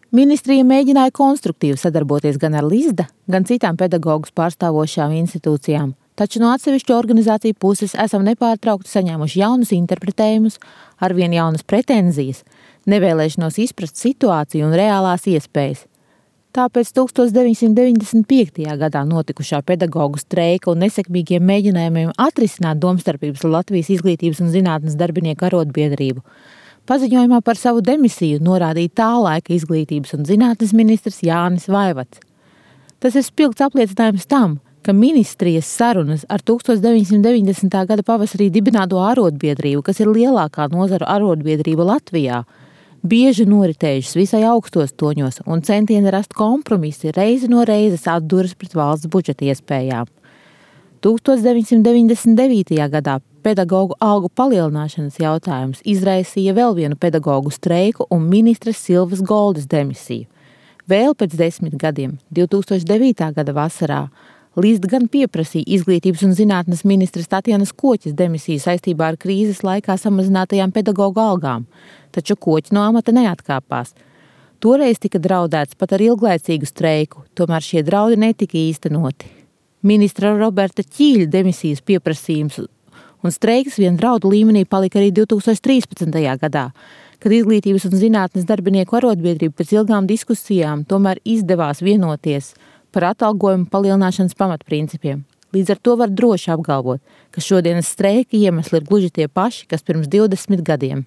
Ministrija mēģināja konstruktīvi sadarboties gan ar Lizda, gan citām pedagogus pārstāvošām institūcijām, taču no atsevišķu organizāciju puses esam nepārtraukti saņēmuši jaunus interpretējumus, arvien jaunas pretenzijas, nevēlēšanos izprast situāciju un reālās iespējas. Tāpēc 1995. gadā notikušā pedagogu streika un nesekmīgiem mēģinājumiem atrisināt domstarpības ar Latvijas izglītības un zinātnes darbinieku arotbiedrību paziņojumā par savu demisiju norādīja tā laika izglītības un zinātnes ministrs Jānis Vaivats. Tas ir spilgts apliecinājums tam, ka ministrijas sarunas ar 1990. gada pavasarī dibināto arotbiedrību, kas ir lielākā nozaru arotbiedrība Latvijā, bieži noritējušas visai augstos toņos un centieni rast kompromisi reizi no reizes atduras pret valsts budžeta iespējām. 1999. gadā pedagogu algu palielināšanas jautājums izraisīja vēl vienu pedagogu streiku un ministres Silvas Goldes demisiju. Vēl pēc 10 gadiem, 2009. gada vasarā, Lizda gan pieprasīja izglītības un zinātnes ministres Tatjanas Koķes demisiju saistībā ar krīzes laikā samazinātajām pedagogu algām, taču Koķe no amata neatkāpās. Toreiz tika draudēts pat ar ilglaicīgu streiku, tomēr šie draudi netika īstenoti. Ministra Roberta Ķīļa demisijas pieprasījums un streiks vien draudu līmenī palika arī 2013. gadā, kad izglītības un zinātnes darbinieku arotbiedrība pēc ilgām diskusijām tomēr izdevās vienoties par atalgojumu palielināšanas pamatprincipiem. Līdz ar to var droši apgalvot, ka šodienas streika iemesli ir gluži tie paši, kas pirms 20 gadiem.